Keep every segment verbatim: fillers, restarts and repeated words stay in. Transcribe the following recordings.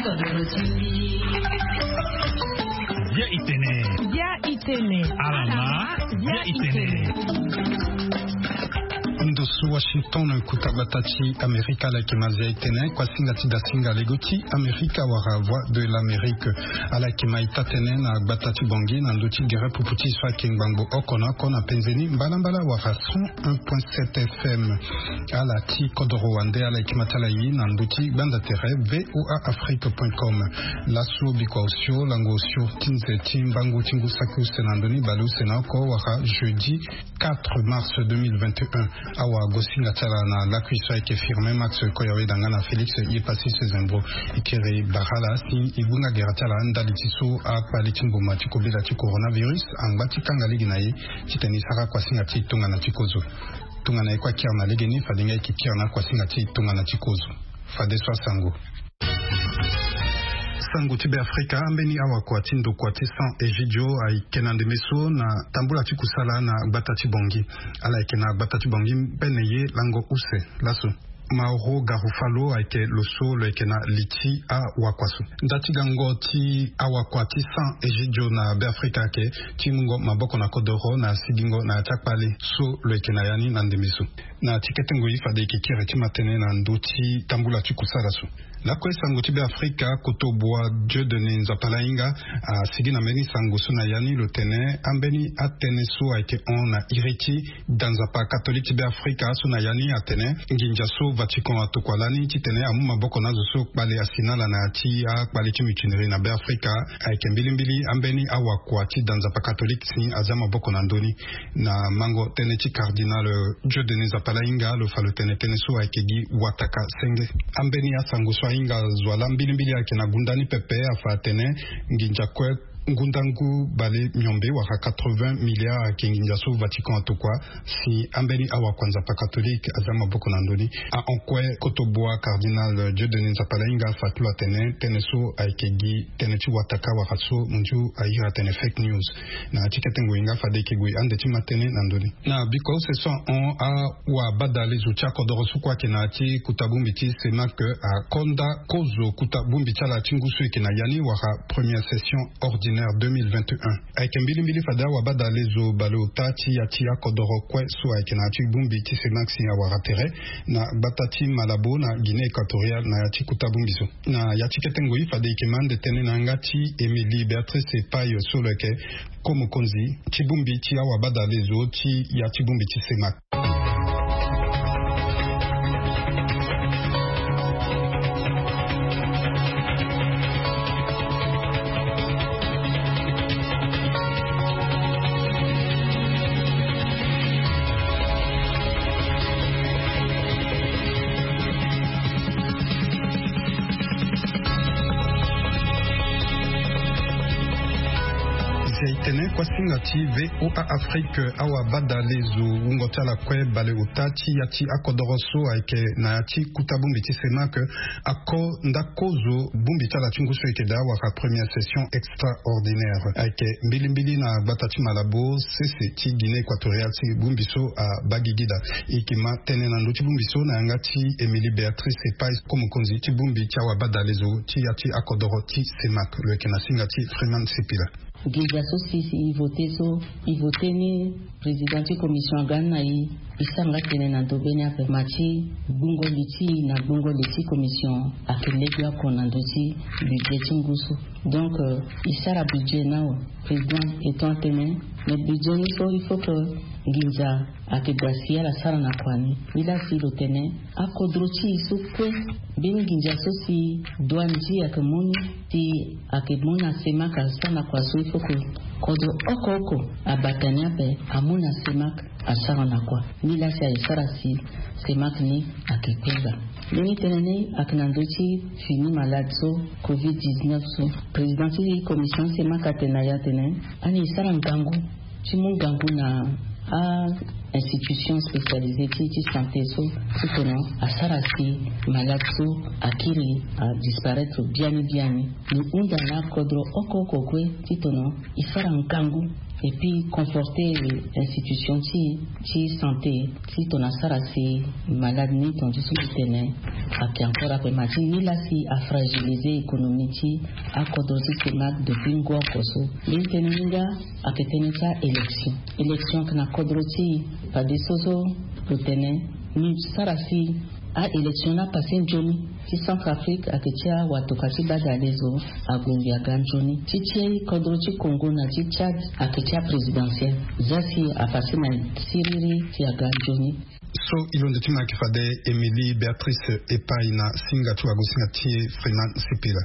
Bia itene. Bia itene. Alama. Bia itene. Ndo so Washington, kuta gbata ti Amerika, ala yeke ma zia itene kuasinga ti dasinga lego ti Amerika wala Voix de l'Amérique. Ala yeke ma ita tënë na gbata ti Bangui na ndö ti gere pupu ti so ayeke ngbangbo oko na oko na penze ni mbalambala wala cent un point sept F M. Ala ti kodoro wande ala yeke ma ti ala ye na ndö ti gbanda tere V O A Afrique point com. Laso bikua osio lango osio ti nze ti mbangu ti ngu saki use na ndö ni bale use na oko wala jeudi quatre mars deux mille vingt et un. Awa gosinga ti ala na lakui so ayeke Firmin Max Koyaweda nga na Félix Yepassis Zembo. E kiri bara ala si e gue nga gere ti ala ndali ti so akpale ti mboma ti kobela ti coronavirus angba ti kanga lege na e titene e sara kuasinga ti tongana ti kozo. Tongana e kue akiri na legeni fade nga e yeke kiri na kuasinga ti tongana ti kozo. Fadeso asango. Sango ti Beafrika, ambeni awakua ti ndokua ti San Egidio ayeke na ndeme so na tambula ti kusala na gbata ti Bangui. Ala yeke na gbata ti Bangui mbene ye lango use laso. Mauro Garofalo ayeke lo so lo yeke na li ti awakua so. Nda ti gango ti awakua ti San Egidio na Beafrika ayeke ti mungo maboko na kodoro na sigingo na ya ti akpale so lo yeke na ya ni na ndeme so. Na ti kete ngoi fade e yeke kiri ti ma tënë na ndö ti tambula ti kusala so. Lakue sango ti Beafrika, kotobua Dieudonné Nzapalainga asigi na mbeni sango so na ya ni lo tene ambeni atënë so ayeke hon na iri ti da nzapa katolike ti Beafrika so na ya ni atene nginza so Vatican atokua lani titene amu maboko na azo so kpale asi na ala na ya ti akpale ti mutinerie na Beafrika ayeke mbilimbili ambeni awakua ti da nzapa katolike si aza maboko na ndö ni. Na mango tënë ti cardinal Dieudonné Nzapalainga lo fa lo tene tënë so ayeke gi wataka senge. Ambeni asango so ahinga zo wa laa mbilimbili ayeke na gunda ni pepe afa atene nginza kue ngundangu bale miombe wala quatre-vingts milliards ayeke nginza so Vatican atokua si ambeni awakua nzapa katolike aza maboko na ndö ni. Ahon kue kotobua cardinal Dieudonné Nzapalainga afa ti lo atene tënë so ayeke gi tënë ti wataka wala so mondio airi atene fake news. Na ya ti kete ngoi nga fade e yeke gue ande ti ma tënë na ndö ni. Na bikua use so ahon awabadale zo ti akodoro so kue ayeke na ya ti kuta bongbi ti CEMAC akonda kozo kuta bongbi ti ala ti ngu so e yeke na ya ni wala première session ordinaire deux mille vingt et un. Ayeke mbilimbili fade awabadale zo baleota ti ya ti akodoro kue so ayeke na ya ti bongbi ti CEMAC si awara tere na gbata ti Malabo na Guinée équatoriale na ya ti kuta bongbi so. Na ya ti kete ngoi fade e yeke ma ande tënë na yanga ti Émilie Béatrice Epay so lo yeke ko-mokonzi ti bongbi ti awabadale zo ti ya ti bongbi ti CEMAC. Zia e tene kuasinga ti V O A Afrique awabadale zo wungo ti ala kue baleota ti ya ti akodoro so ayeke na ya ti kuta bongbi ti CEMAC ako nda kozo bongbi ti ala ti ngu so e yeke daa wala première session extraordinaire ayeke mbilimbili na gbata ti Malabo sese ti Guinée équatoriale si bongbi so abaa gigi daa. E yeke ma tënë na ndö ti bongbi so na yanga ti Émilie Béatrice Epay, ko-mokonzi ti bongbi ti awabadale zo ti ya ti akodoro ti CEMAC lo yeke na singa ti Freeman Sipila. Nginza so si, si e vote so, e vote ni président ti commission aga ni na e, e sara nga tënë na ndö be ni ape. Ma ti gbungo li ti e na gbungo li ti commission ayeke lege oko na ndö ti budget ti ngu so. Donc, euh, e sara budget ni awe, président e to atene, mais budget ni so il faut que nginza ayeke daa si ala sara na kua ni. Nilaa si lo tene akodro ti e so kue, mbeni nginza so si douane ti e ayeke mu ni, si ayeke mu na CEMAC asara na kua so, il faut que kodro oko oko abata ni ape amu na CEMAC asara na kua. Nilaa si aye sara si CEMAC ni ayeke kue gbaa. Mbeni tënë ni ayeke na ndö ti fini malade so covid dix-neuf so. Président ti commission CEMAC atene na e atene, ani e sara ngangu ti mu ngangu na a-institution spécialisée ti, ti santé so, titene asara si malade so akiri adisparaître biani biani. Ni hunda na akodro oko oko kue titene e sara ngangu Et puis conforter institution ti ti santé ti tona sara si malade ni ton ti so ti tene ake encore ape ma ti ni la si afragiliser économie ti akodro ti semak depuis ngu oko so. Mbi tene ni nga ake tene ti a élection élection ake na kodro ti pade so so lo tene ni sara si a élection la pase nzoni ti centrafrique ake ti awatoka ti badale zo ague ngi aga nzoni ti ti kodro ti congo na ti tchad ake ti aprésidentiel za si apase na siriri ti aga nzoni. So ilo nde ti ma yeke fade émilie béatrice epai na singa ti wagosinga ti e freeman sipila.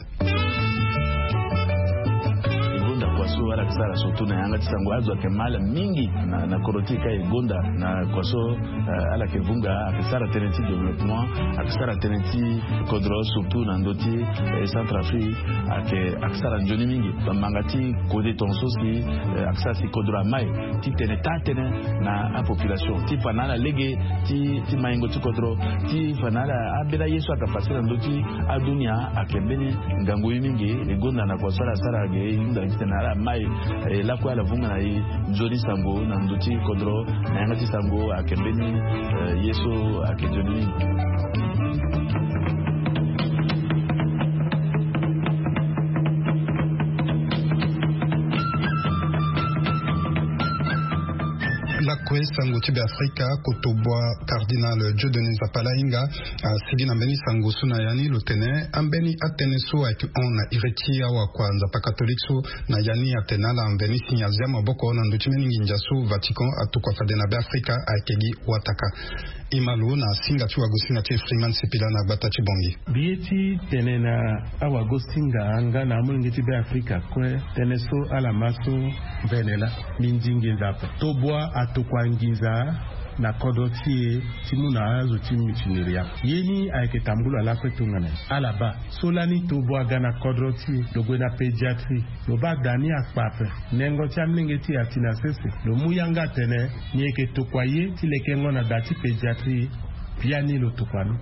Gonda kua so ala yeke sara surtout na yanga ti sango azo ayeke mal mingi na koro ti e ka e gonda na kua so ala yeke vunga ayeke sara tënë ti développement ayeke sara tënë ti kodro surtout na ndö ti centrafrique ayeke ayeke sara nzoni mingi. Bamanga ti kode tonga so si ayeke sara si kodro amai ti tene taa tënë na apopulation ti fa na ala lege ti maingo ti kodro ti fa na ala ambeni aye so ayeke pase na ndö ti adunia ayeke mbeni ngangu ye mingi. E gonda na kua so ala sara ge e hunda titene ala mai e lakue ala vunga na e nzoni sango na ndö ti kodro na yanga ti sango ayeke mbeni ye so ayeke nzoni mingi. Lakue sango ti beafrika kotobua cardinal dieudonné nzapalainga asigi na mbeni sango so na ya ni lo tene ambeni atënë so ayeke hon na iri ti awakua nzapa katolike so na ya ni atene ala mveni si ni azia maboko na ndö ti mbeni nginza so vatican atokua fade na beafrika ayeke gi wataka. Imalo na singa ti wagosinga ti e freeman sipila na gbata ti bongi. Mbi ye ti tene na awagosinga nga na amolenge ti beafrika kue tënë so ala ma so mvene laa mbi ndi nginza ape. Tobua atokua nginza na kodro ti e ti mu na azo ti mutineria ye ni ayeke tambula lakue tongana ala baa so lani tobua aga na kodro ti e lo gue na pédiatrie lo baa da ni akpa ape. Nengo ti amolenge ti e ati na sese lo mu yanga atene ni yeke tokua ye ti lekengo na da ti pédiatrie. Biani lo tokua ni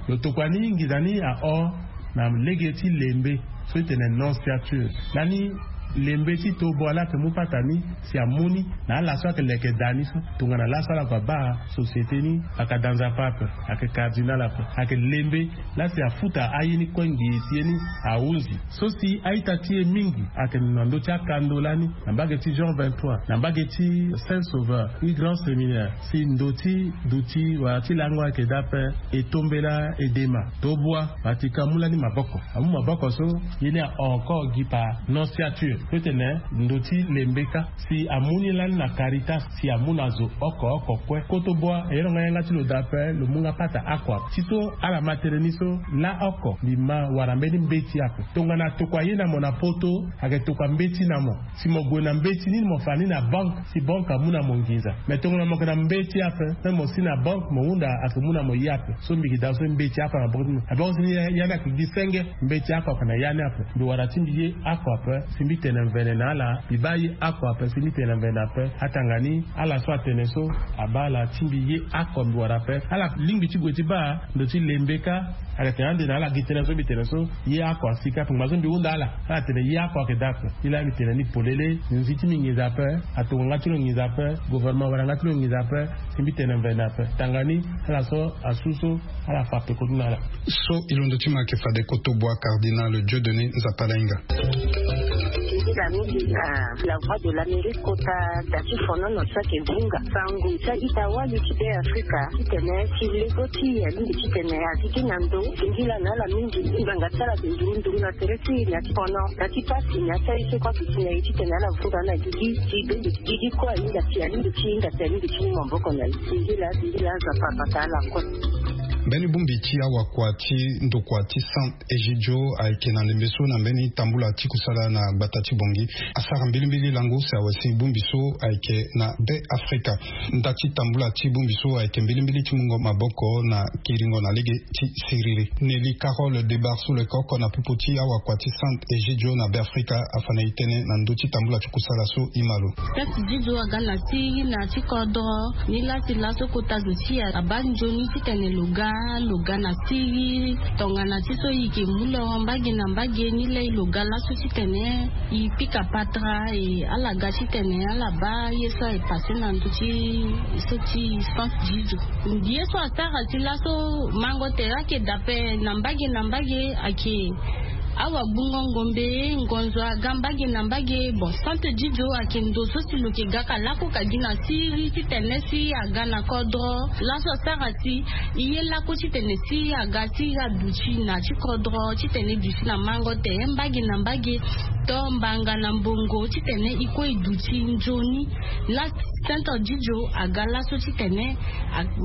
lo tokua ni nginza ni ahon na lege ti lembe so ti tene nonciature lani lembe ti tobua laa ayeke mu pata ni si amu ni na ala so ayeke leke da ni so tongana laso ala kua baa société ni aka da nzapa ape ayeke cardinal ape ayeke lembe laa si afuta aye ni kue ngi si ye ni ahunzi so si a-ita ti e mingi ayeke na ndö ti akando lani na mbage ti jean vingt-trois na mbage ti saint sauveur ti grand séminaire si ndo ti duti wala ti lango ayeke daa ape. E tombela edema tobua vatican amu lani maboko amu maboko so ye ni ahon encore gi par nonciature so ti tene ndo ti lembe kâ si amu ni lani na caritas si amu na zo oko oko kue kotobua e yonga yanga ti lo daa ape lo mu nga pata oko ape tito ala ma tënë ni so laa oko mbi ma wara mbeni mbeti ape tongana atokua ye na mo na poto ayeke tokua mbeti na mo si mo gue na mbeti ni mo fa ni na banke si banke amu na mo nginza. Mais tongana mo yeke na mbeti ape même mo si na banke mo hunda ayeke mu na mo ye ape so mbi yeke daa so mbeti oko na banke ti mo na banke ti ni ya ni ayeke gi senge. Mbeti oko ayeke na ya ni ape mbi wara ti mbi ye oko ape si mbi tene mvene na ala mbi baa ye oko ape si mbi tene mvene ape atanga ni ala so atene so abaa ala ti mbi ye oko mbi wara ape ala lingbi ti gue ti baa ndo ti lembe kâ. Ayeke tene ande na ala gi tënë so mbi tene so ye oko asi kâ ape ngba so mbi hunda ala ala tene ye oko ayeke daa ape. Ye laa mbi tene ni polele nzi ti mbi nginza ape. Atokua nga ti lo nginza ape. Gouvernement wara nga ti lo nginza ape. Si mbi tene mvene ape tanga ni ala so asu so ala fa peko ti na ala. So e londo ti ma ayeke fade kotobua cardinal dieudonné nzapalainga. Nzila mingi na la voix de l'amérique kota da ti fonono so ayeke vunga sango ti a-ita wali ti be afrika ti tene ti lego ti e alingbi ti tene agigi na ndo. Singila na ala mingi ngbanga ti ala ayeke ndurunduru na tere ti e na ti fono na ti pasi na ti aye so kue ake si na e ti tene ala vunga na gigi ti bendo ti gigi kue ahinga si alingbi ti hinga si alingbi ti mu maboko na e. Singila singila nzapa abata ala kue. Mbeni bongbi ti awakua ti ndokua ti saint egidio ayeke na ndembe so na mbeni tambula ti kusala na gbata ti bongi asara mbilimbili lango si awasi bongbi so ayeke na be afrika. Nda ti tambula ti bongbi so ayeke mbilimbili ti mungo maboko na kiringo na lege ti siriri. Nelly carole debar so lo yeke oko na popo ti awakua ti saint egidio na be afrika afa na e tënë na ndö ti tambula ti kusala so. Imalo. Tati didio aga na ti na ti kodro ni lasi laso kota zo ti e abaa nzoni titene lo ga. Lo ga na siri tongana ti so i ke mu lo mbage na mbage ni lei lo ga laso titene i pika patara e ala ga titene ala baa ye so aye pase na ndö ti so ti sante didio. Ye so asara ti laso mango tere ake daa ape na mbage na mbage ake. Awa gbungo ngombe ngonzo aga mbage na mbage bon sante didio ake ndo so si lo ke ga ka lako ka gi na siri titene si aga na kodro laso asara si i ye lako titene si aga si aduti na ti kodro titene duti na mango tere mbage na mbage to mbanga na mbongo titene i kue i duti nzoni. La sante didio aga laso titene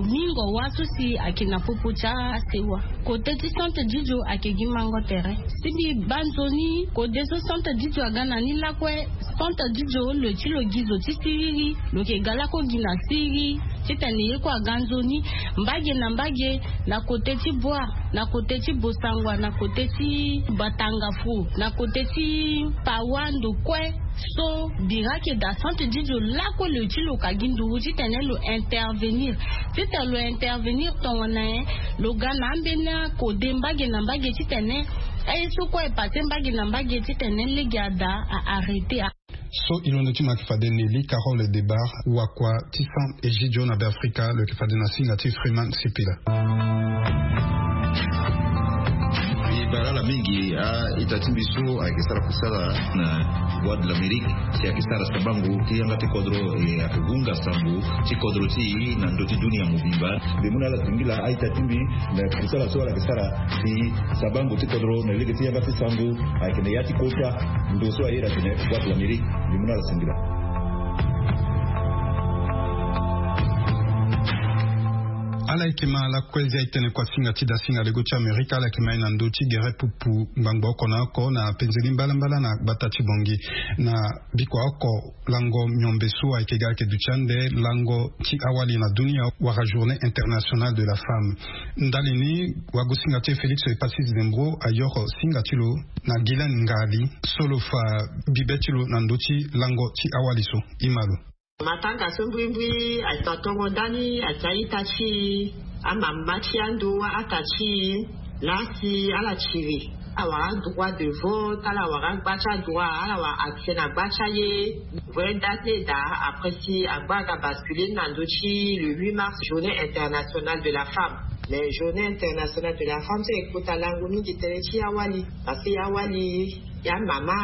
ningo wa so si ake na popo ti asewa. Kote ti sante didio ake gi mango tere si mbi baa nzoni kode so sante didio aga na ni lakue. Sante didio lo ti lo gi zo ti siriri lo ke ga lako gi na siriri titene ye kue aga nzoni mbage na mbage na kote ti boa na kote ti bosangwa na kote ti batangafo na kote ti pawa ndo kue. So bira ke daa sante didio lako lo ti lo ka gi nduru titene lo intervenir titene lo intervenir tongana nyen? Lo ga na ambeni akode mbage na mbage titene aye so kue e pase mbage na mbage titene lege ada a arrêter. So i londo ti mo ayeke fade nelly carole debar wakua ti san egidio na beafrika lo yeke fade na singa ti freeman sipila. E bara ala mingi a-ita ti mbi so ayeke sara kusala na voie de l'amérique si ayeke sara sabango ti yanga ti kodro e ayeke hunga sango ti kodro ti e na ndö ti dunia mobimba. Mbi mu na ala singila a-ita ti mbi na kusala so ala yeke sara si sabango ti kodro na lege ti yanga ti sango ayeke na ya ti kota ndo so ayeda tene voie de l'amérique. Mbi mu na ala singila. Ala yeke ma ala kue zi aye tene kua singa ti da singa lego ti amerika ala yeke ma ye na ndö ti gere pupu ngbangbo oko na oko na penzeli mbalambala na gbata ti bongi na bikua oko lango miombe so ayeke ga ayeke duti ande lango ti awali na dunia wala journée internationale de la femme. Ndali ni wagosinga ti e félix epasis dembro ayoro singa ti lo na gilen ngali so lo fa bibe ti lo na ndö ti lango ti awali so. I ma lo. Matanga so mbrimbri atongo ndani ati a-ita ti e amama ti ando ata ti e. Laa si ala tiri ala wara adroit de vote ala wara agba ti adroit ala wara accès na gba ti aye. Vrai date ni e daa après si agba aga basculer ni na ndö ti le huit mars journée internationale de la femme. Mais journée internationale de la femme so e kota lango mingi tënë ti awali parce que awali ya mama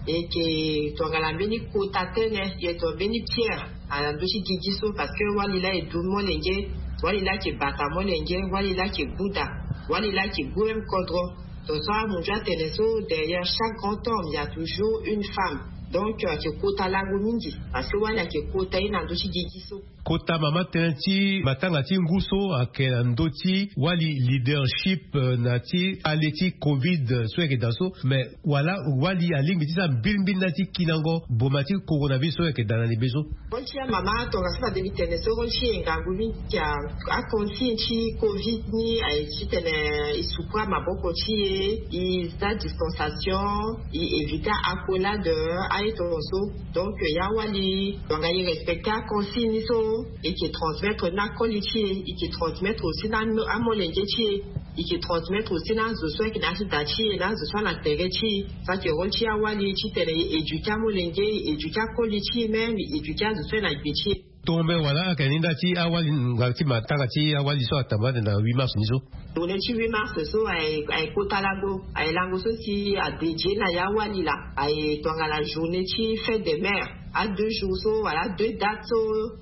e yeke tongana mbeni kota tënë e yeke tongana mbeni pierre na ndö ti gigi so parce que wali laa e du molenge. Wali laa ayeke bata molenge wali laa ayeke buda wali laa ayeke gbu même kodro. Donc so amu nzoni atene so derrière chaque grand homme il y a toujours une femme. Donc ayeke kota lango mingi parce que wali ayeke kota ye na ndö ti gigi so. Kota mama tënë ti matanga ti ngu so ayeke na ndö ti wali leadership na ti ale ti covid so ayeke daa so mais wala wali alingbi ti sara mbilimbili nda ti kinango boma ti coronavirus so ayeke daa na libe so. Rôle ti amama tongaso na demi tene so rôle ti e ngangu mingi. Aconsigne ti covid ni aye titene e sukura maboko ti e e za distanciation e éviter accolade. Aye tongaso donc ya wali tonga e respecter aconsigne ni so e ke transmettre na akoli ti e e ke transmettre aussi na amolenge ti e. E ke transmettre aussi na azo so ayeke na ya ti da ti e na azo so ana tere ti e. So ayeke rôle ti awali titene e éduquer amolenge e éduquer akoli ti e même e éduquer azo so ayeke na gbe ti e. Tombe wala ayeke ni nda ti awali ngangu ti matanga ti awali so atamba ande na huit mars ni so. Journée ti huit mars so aye kota lango aye lango so si adédier na ya awali laa aye tongana journée ti fête des mères. A deux jours so wala deux dates so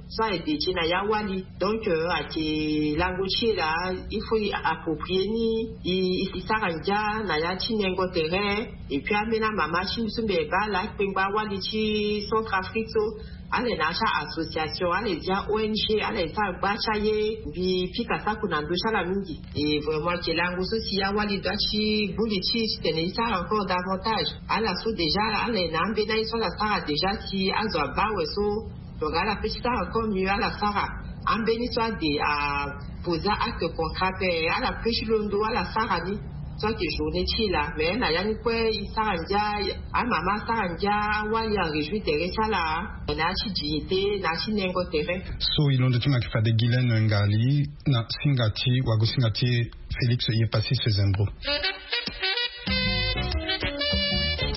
so aye dédier na ya awali. Donc ayeke lango ti e laa il faut e approprier ni e sara ngia na ya ti nengo tere. Et puis ambeni amama ti mbi so mbi yeke baa ala akpengba awali ti centre afrique so ala yeke na ya ti a-association ala yeke zi a-ong ala yeke sara gba ti aye. Mbi pika sako na ndö ti ala mingi. Et vraiment ayeke lango so si awali doit ti gbu li ti e titene e sara encore davantage. Ala so déjà ala yeke na ambeni aye so ala sara déjà si azo abaa awe so. Donc ala pe ti sara encore mieux ala sara ambeni so ade apose acte concret ape ala pe ti londo ala sara ni. So ayeke journée ti e laa mais na ya ni kue e sara ndia. Amama asara ndia awali aréjouir tere ti ala. Na ya ti dignité na ya ti nengo tere. So e londo ti mo ayeke fade Guylaine Ngali na singa ti wago singa ti e Félix Yepassis Zembro.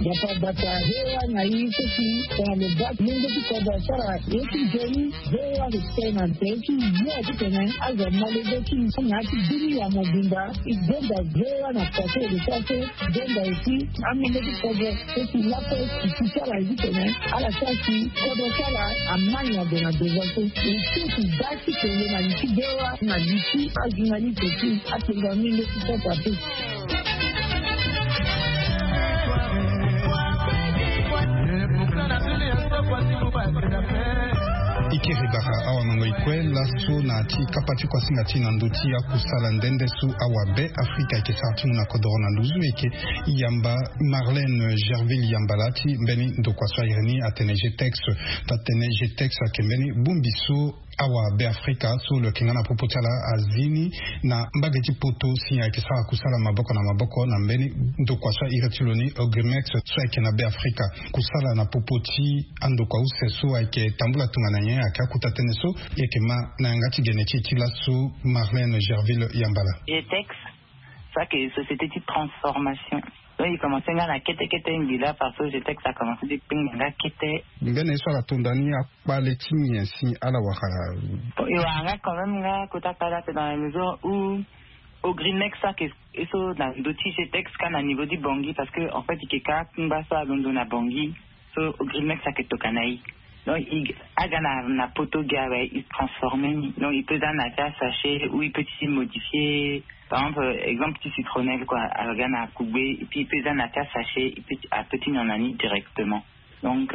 Bata bata hewa na i so si tongana lo baa ti mungo ti kodro asara ye ti nzoni. Hewa lo tene na ntere ti yo ti tene azo amolenge ti na ya ti bini ya mobimba. I donda hewa na pase lo sara so donda aussi amolenge ti kodro so si lakue si ti sara ye ti tene ala sara si kodro ti ala amai na gue na devant so. Lo so si baa ti kende na li ti hewa na li ti ajournaliste ti atenga amolenge ti sasa te. E kiri bara awamango e kue laso na ti kapa ti kuasinga ti e na ndö ti akusala nde nde so awabe Afrika ayeke sara ti mu na kodoro na nduzu e yeke yamba Marlène Gerville Yambala ti mbeni ndokua so a iri ni atene G T E X. Atene G T E X ayeke mbeni bongbi so awabe Afrika so lo yeke nga na popo ti ala azi ni na mbage ti poto si ayeke sara kusala maboko na maboko na mbeni ndokua so a iri ti lo ni Ogrimex so ayeke na be Afrika. Kusala na popo ti andokua use so ayeke tambula tongana nyen? Ayeke akuta tënë so e yeke ma na yanga ti gene ti e ti laso Marlène Gerville Yambala. G T E X so ayeke société ti transformation. Donc e commencé nga na kete kete ngbi laa parce que G T E X a commencé ti kpengba nga kete. Mbeni ye so ala tonda ni akpale ti nyen si ala wara? Bon, e wara nga quand même nga kota kpale ape dans la mesure où Ogrimex so ayeke ye so na ndö ti G T E X ka na niveau ti Bangui parce que en fait e yeke ka akungba so alondo na Bangui. So Ogrimex ayeke tokua na e. Donc e aga na poto gi awe e transformer ni. Donc e peut za na ya ti asachet ou e peut ti modifier. Par exemple, exemple ti citronnelle quoi, aga na kugbe et puis e peut za na ya ti asachet e peut ti nyon na ni directement. Donc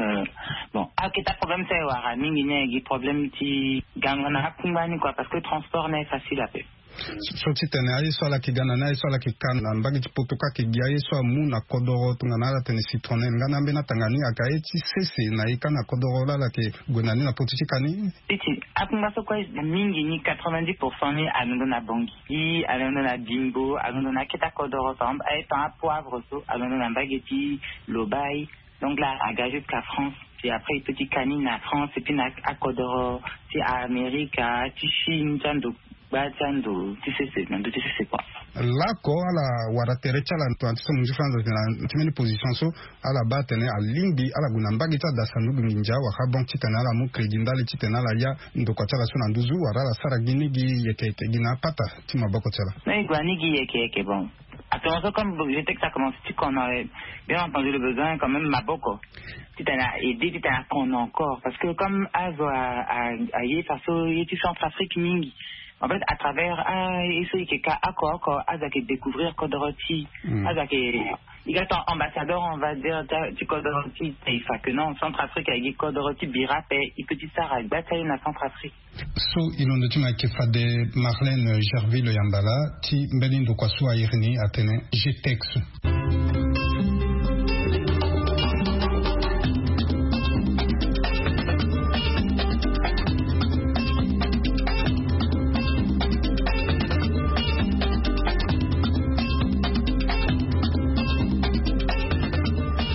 bon, aketa problème so e wara mingi ni ayeke gi problème ti gango na akungba ni quoi parce que transport ni aye facile ape. So ti tene aye so ala yeke ga na ni aye so ala yeke ka na mbage ti poto ka ayeke gi aye so amu na kodoro tongana ala tene citronnelle nga na ambeni atanga ni ayeke aye ti sese na e ka na kodoro laa ala yeke gue na ni na poto ti ka ni. Ti ti akungba so kue mingi ni quatre-vingt-dix pour cent ni alondo na Bangui, alondo na Bimbo, alondo na akete akodoro par exemple aye tan apoivre so alondo na mbage ti Lobaye. Donc laa aga jusqu'à France. Puis après e peut ti ka ni na France et puis na akodoro ti Amerika ti Chine ti ando gba ti ando ti sese na ndö ti sese kua. Laoko ala wara tere ti ala tongana ti so mo nzi franza ti na ti mbeni position so ala baa atene alingbi ala gue na mbage ti adasa ndugu nginza wala banque ti tene ala mu crédit ndali ti tene ala ya ndokua ti ala so na nduzu wala ala sara gi ni gi yeke yeke gi na apata ti maboko ti ala. Na e gue na ni gi yeke yeke bon. Actuellement so comme je sais que ça commence ti kono, bien entendu le besoin quand même maboko ti tene a aider ti tene akono encore parce que comme azo aye faso ye ti Centrafrique mingi. En fait à travers a ye so e yeke ka oko oko azo ayeke découvrir kodoro ti e. Azo ayeke e ga ton ambassadeur on va dire ti kodoro ti e. Fa que non, Centrafrique ayeke gi kodoro ti bira ape. E peut ti sara gba ti aye na Centrafrique. So e londo ti mo ayeke fade Marlène Gerville Yambala ti mbeni ndokua so a iri ni atene G T E X.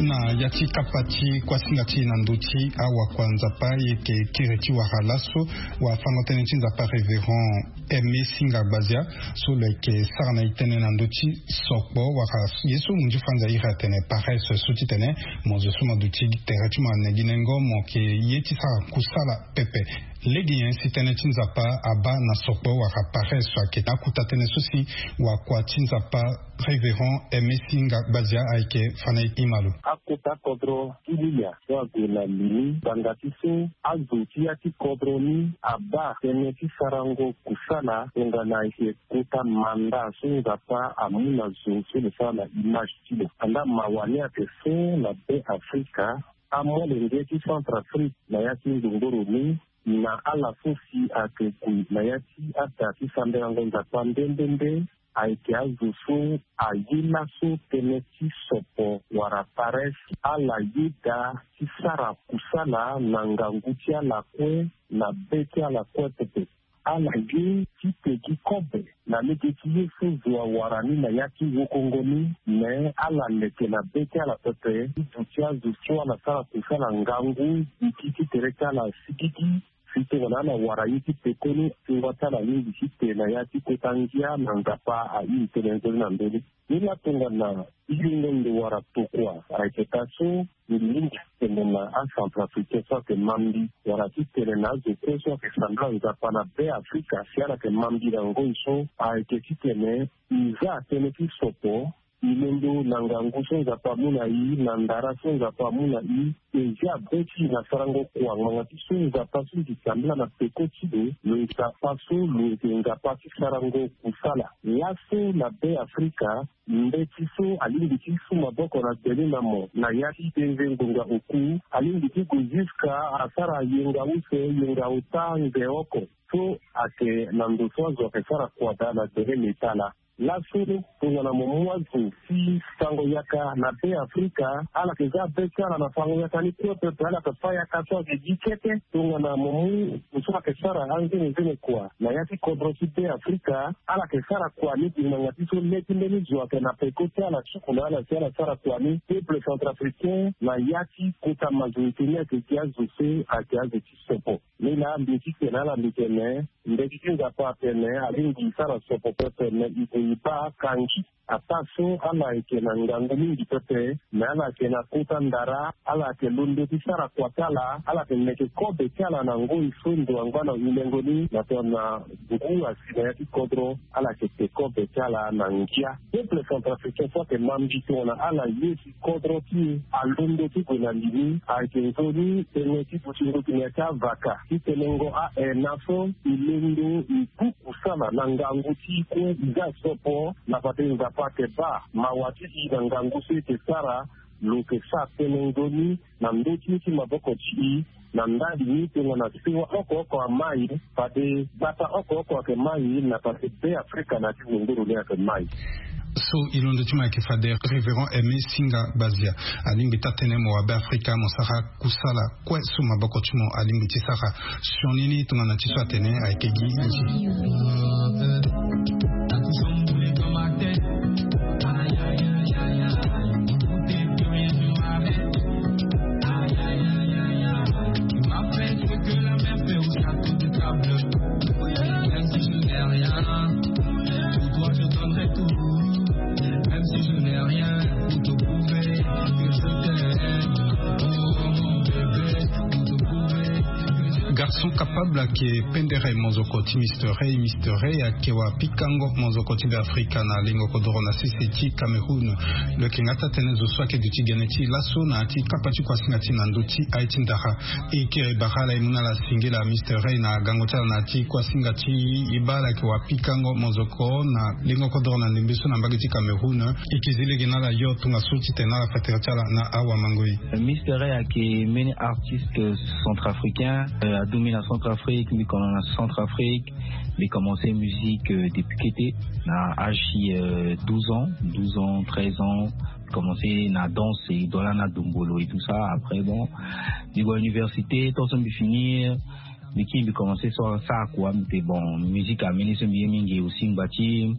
Na ya ti kapa ti kuasinga ti e na ndö ti awakua Nzapa e yeke kiri ti wara laso wafango-tënë ti Nzapa Révérend Aimé Singa Gbazia so lo yeke sara na e tënë na ndö ti sokpo wala ye so mo nzi franza iri atene paresse so ti tene mo zo so mo duti tere ti mo ane gi nengo mo yeke ye ti sara kusala pepe. Lege nyen si tënë ti Nzapa abaa na sokpo wala paresse so ayeke akuta tënë so si wakua ti Nzapa Révérend Aimé Singa Gbazia ayeke fa na e ti malo. Akota kodro ti Lilia so ague na li ni ngbanga ti so azo ti ya ti kodro ni abaa tënë ti sarango kusala tongana ayeke kota manda so Nzapa amu na zo so lo sara na image ti lo. Andaa mawa ni ayeke so na Be Afrika, amolenge ti Centrafrique na ya ti nzongboro ni na ala so si ayeke gue na ya ti ada ti sambelango Nzapa nde nde nde ayeke azo so aye laso tënë ti sopo wala paresse. Ala yeda ti sara kusala na ngangu ti ala kue na be ti ala kue pepe. Ala ye ti peki kobe na lege ti ye so zo awara ni na ya ti wokongo ni, me ala leke na be ti ala pepe ti duti azo so ala sara kusala ngangu. Gi ti ti tere ti ala asigigi si tongana ala wara ye ti pekoni, tingua ti ala alingbi ti te na ya ti kota ngia na Nzapa airi tënë nzoni na ndö ni. Ni la tongana iringo ndo wara tokua ayeke taa so, mbi lingbi ti tene na acentrafricain so ayeke ma mbi wala ti tene na azo kue so ayeke sambela Nzapa na Be Afrika si ala yeke ma mbi na ngoi so ayeke ti tene i za tënë ti sopo, i londo na ngangu so Nzapa amu na i, na ndara so Nzapa amu na i. E zia be ti i na sarango kua ngbanga ti so Nzapa so i sambela na peko ti lo, lo Nzapa so lo yeke Nzapa ti sarango kusala. Laso na Be Afrika, mbeti so alingbi ti su maboko na gbeni na mo na ya ti denze ngonga oku, alingbi ti gue jusqu'à asara yenga use, yenga ota, nze oko. So ayeke na ndo so azo ayeke sara kua daa na gbele metala. Laso tongana mo mu azo ti sango yaka na Be Afrika, ala yeke za be ti ala na sango yaka ni kue pepe, ala yeke fâ yaka so ayeke gi kete. Tongana mo mu ndo so ayeke sara anzenezene kua na ya ti kodro ti Be Afrika, ala yeke sara kua ni gi ngbanga ti so le ti mbeni zo ayeke na peko ti ala suku na ala si ala sara kua ni. Peuple centrafricain na ya ti kota majorité ni ayeke gi azo so ayeke azo ti sopo. Ni laa mbi ye ti tene na ala, mbi tene mbeti ti Nzapa atene alingbi e sara sopo pepe, me e gue e baa kangi. Ataa so ala yeke na ngangu mingi pepe, me ala yeke na kota ndara, ala yeke londo ti sara kua ti ala, ala yeke meke kobe ti ala na ngoi so ndo angba na hulengo ni na tongana ngu asi na ya ti kodro, ala yeke te kobe ti ala na ngia. Peuple centrafricain so ayeke ma mbi tongana ala ye si kodro ti e alondo ti gue na li ni, ayeke nzoni tënë ti dutingo gi na ya ti avaka ti tenengo a-ena so e londo e ku kusala na ngangu ti e kue. E za sopo na fade Nzapa ayeke baa mawa ti e na ngangu so e yeke sara. Lo yeke sara tënë nzoni na ndö ti ye ti maboko ti e. Na ndali ni tongana sewa oko oko amai, fade gbata oko oko ayeke mai, na fade Be Afrika na ya ti zongoro ni ayeke mai. So e londo ti mo ayeke fade Révérend Aimé Singa Bazia. Alingbi taa tënë mo wa Be Afrika mo sara kusala kue so maboko ti mo alingbi ti sara. Sioni ni tongana ti so atene ayeke gi nzi. Garçon capable ayeke pendere mozoko ti Mister Ray. Mister Ray ayeke wa pikango mozoko ti Be Afrika na lingo kodoro na sese ti Cameroun. Lo yeke nga taa tënë zo so ayeke duti gene ti laso na ya ti kapa ti kuasinga ti na ndö ti aye ti ndara. E kiri bara ala, e mu na ala singila Mister Ray na gango ti ala na ya ti kuasinga ti e. Baa ala yeke wa pikango mozoko na lingo kodoro na ndembe so na mbage ti Cameroun. E yeke zi lege na ala yo tongaso ti tene na ala fa tere ti ala na awamangoi. Mister Ray ayeke mbeni artiste centrafricain. Euh, aduti na Centrafrique, mbi kono na Centrafrique. Mbi commencé musique, euh, depuis kete, na âge ti, euh, douze ans, douze ans, treize ans. Commencé na danse, et dans la na dombolo et tout ça. Après, bon, mbi gue université, tant so mbi finir, mbi kiri mbi commencé so sara kua. Mbi te bon, musique ameni so mbi ye mingi aussi, mbi bâ ti,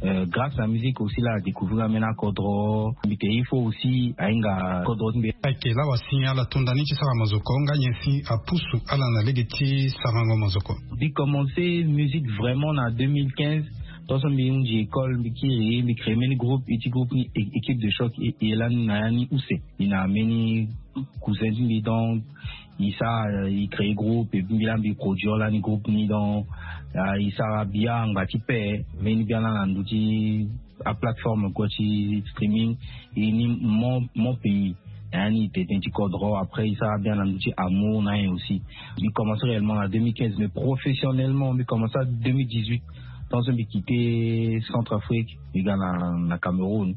euh, grâce à musique aussi la découvrir ameni akodro. Mbi te il faut aussi ahinga kodro ti mbi. Ayeke la wa si ala to nda ni ti sara mozoko nga nyen si apusu ala na lege ti sarango mozoko. Mbi commencé musique vraiment na deux mille quinze. Tant so mbi hunzi école, mbi kiri, mbi créé mbeni groupe, e ti groupe ni é-, équipe de choc, e, e lani na ya ni use. E na mbeni cousin ti mbi, donc e sara, e créé groupe, et puis mbi laa mbi produire lani groupe ni, donc, ah, e sara bia angba ti paix, mbeni bia laa na ndö ti aplateforme kue ti streaming, e ni Mon, Mon Pays. Na ya ni e te tënë ti kodro, après e sara bia na ndö ti amour na ye aussi. Mbi commencé réellement na deux mille quinze, mais professionnellement mbi commencé na deux mille dix-huit. Tant so mbi quitté Centrafrique, mbi ga na, na Cameroun.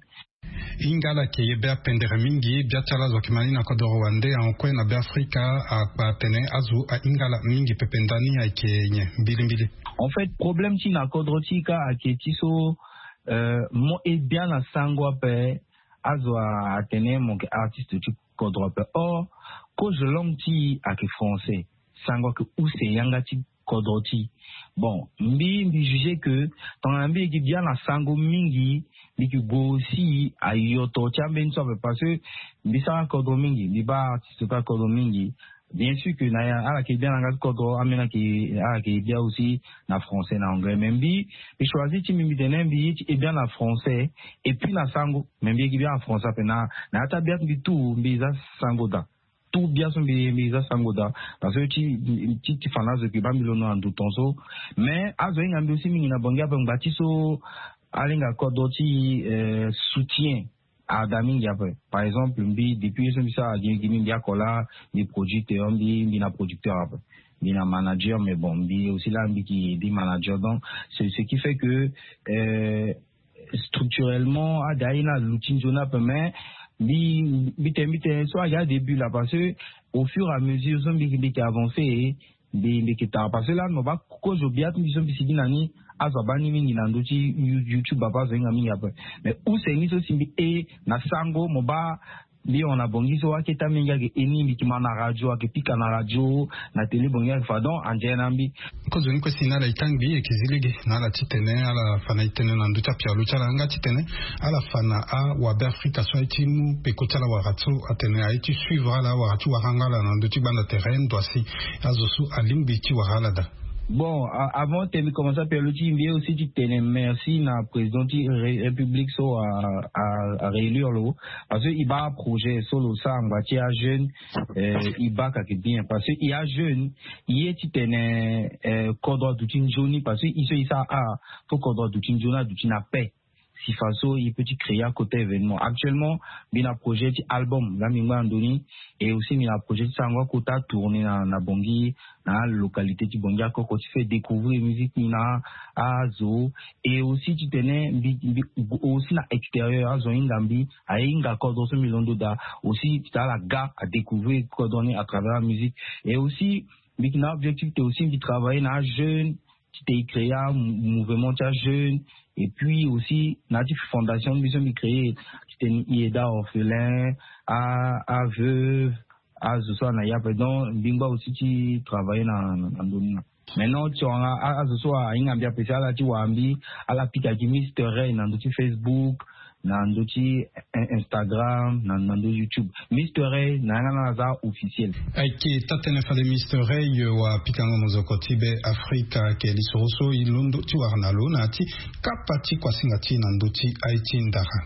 Hinga ala yeke ye be apendere mingi, bia ti ala zo ayeke ma ni na kodoro wande, ahon kue na Be Afrika, akpa atene azo ahinga ala mingi pepe ndani ayeke nyen mbilimbili. En fait, problème ti na kodro ti e ka ayeke ti so, euh, mo e bia na sango ape, azo a, atene mo yeke artiste ti kodro ape. Or, cause langue ti e ayeke français. Sango ayeke use yanga ti kodro ti. Bon, mbi mbi juger que tongana mbi yeke bia na sango mingi, mbi yeke gue aussi ayoto ti ambeni so ape, parce que mbi sara kodro mingi, mbi baa artiste ti akodro mingi. Bien sûr que na ala yeke bia na nga ti kodro, ambeni ala yeke bia aussi na français, na anglais, mais mbi mbi choisir ti mbi mbi tene mbi ye ti e bia na français et puis na sango. Mais mbi yeke bia na français ape na na ya ti abia ti mbi tout mbi za sango daa. Tout bia so mbi mbi za sango daa. Parce que ti ti ti fa na azo yeke baa mbi londo na ndo ton so. Mais azo ahinga mbi aussi mingi na bangi ape ngba ti so alinga kodro ti soutien. Ada mingi ape. Par exemple mbi depuis ye so mbi sara gi gi mbi mbi ako laa, mbi produit te mbi mbi na producteur ape, mbi na manager, mais bon mbi aussi laa mbi ki mbi manager. Donc c'est ce qui fait que euh, structurellement ada aye na luti nzoni ape, mais mbi mbi te mbi te so aya début laa, parce que au fur et à mesure so mbi mbi ke avancer mbi mbi ke tara, parce que laa mo baa kozo bia ti mbi so mbi sigi na ni. Azo abaa ni mingi na ndö ti YouTube ape, azo ahinga mingi ape. Mais use ni so si mbi e na sango mo baa mbi hon na bangi so aketa mingi ayeke e ni mbi ke ma na radio ayeke pika na radio, na télé bangi ayeke fa donc andiaye na mbi. Kozo ni kue si na ala e kangbi e yeke zi lege na ala titene ala fa na e tënë na ndö ti apialo ti ala nga titene ala fa na awabe afrika so aye ti mu peko ti ala wara so atene aye ti suivre ala wara ti wara nga ala na ndö ti gbanda tere ndo asi. Azo so alingbi ti wara ala daa. Bon, avant te mbi commencer apialo ti mbi ye aussi ti tene merci na président ti république so a a réélire lo. Parce que e baa projet so lo sara ngba ti ajeune, e baa kake bien parce que e ajeune, e ye ti tene kodro aduti nzoni parce que e so e sara art, fo kodro aduti nzoni aduti na paix. Si façon e peut ti créer akota événement actuellement, mbi na projet ti album nga mbi ngba na ndo ni. Et aussi mbi na projet ti sarango akota tourner na na bangi na alocalité ti bangi akoko ti fait découvrir musique ni na azo. Et aussi titene mbi mbi aussi na extérieur azo ahinga mbi aye hinga kodro so mbi londo daa. Aussi titene ala ga adécouvrir kodro ni à travers la musique. Et aussi mbi na objectif te aussi mbi travailler na ajeune ti te e créer amouvement ti ajeune. Et puis aussi na ya ti fondation mbi so mbi créer ti te e aide aorphelin, aveuve, azo so ana ya pe donc mbi ngba aussi ti travailler na na ndoni na. Maintenant ti wanga azo so ahinga mbi ape si ala ti wara mbi, ala pika gi mister ray na ndö ti facebook, na ndö ti instagram, na ndö ti youtube. Mister ray na yanga na ala za officiel. Ayeke taa-tënë fade mister ray wa pikango mozoko ti be afrika ayeke lisoro so e londo ti wara na lo na ya ti kapa ti kuasinga ti na ndö ti aye ti ndara.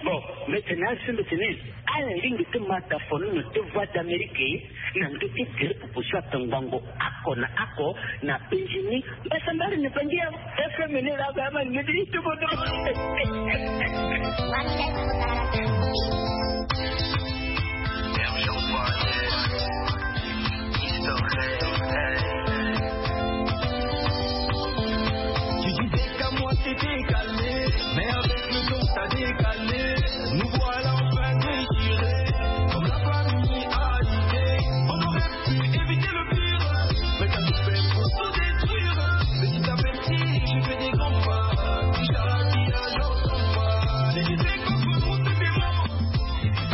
Bon, mbi tene asi mbi tene ala lingbi ti ma dafono na ti voie d'amérique na ndö ti tere pupu so atongbango ako na ako na benjini. Mbasambari ni bangi ya fm ni la ba ma ni di tubo do. Tu disais qu'à moi c'était calmé, mais avec le temps ça décalé. Nous voilà enfin déchirés, comme la famille a dit. On aurait pu éviter le pire, mais t'as tout fait pour tout détruire. Petit à petit, je fais des grands pas. Inch'Allah, qui a l'autre pas. Je disais que pour nous c'était mort.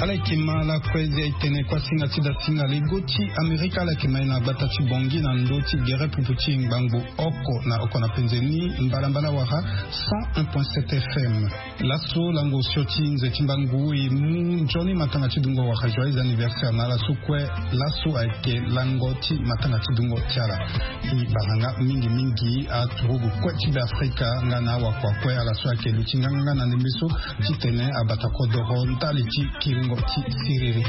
Ala yeke ma lakue nze e tene kuasinga ti dasinga lego ti amerika ala yeke ma e na gbata ti bongi na ndö ti gere pupu ti ngbangbo oko na oko na penze ni mbalambala wara cent un point sept fm. Laso lango osio ti nze ti mbangu e mu nzoni matanga ti dungo wala joyeux anniversaire na ala so kue. Laso ayeke lango ti matanga ti dungo ti ala. E bala nga mingi mingi aturugu kue ti be afrika nga na awakua kue ala so ayeke luti nganganga na ndembe so titene abata kodoro ndali ti kiringo ti siriri.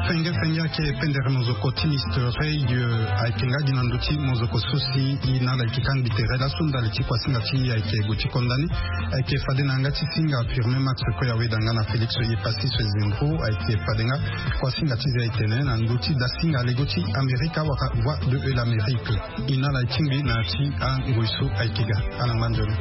Fenge fenge. Pendere mozoko ti Mister Ray ayeke nga gi na ndö ti mozoko so si e na ala ayeke kangbi tere laso ndali ti kuasinga ti e ayeke gue ti konda ni. Ayeke fade na yanga ti singa Firmin Max Koya weda nga na Félix Yepassi Sezendro ayeke fade nga kuasinga ti ze ayeke tene na ndö ti dasinga lego ti Amerika wala Voix de l'Amérique. E na ala e tingbi na ya ti angoi so ayeke ga. Ala ngba nzoni.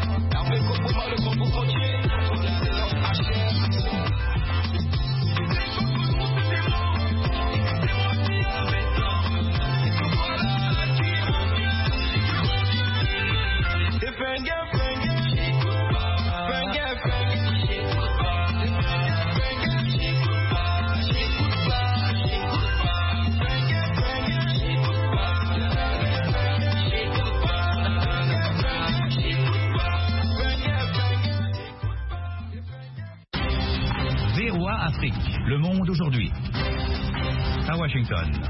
V O A Afrique, le monde aujourd'hui. À Washington.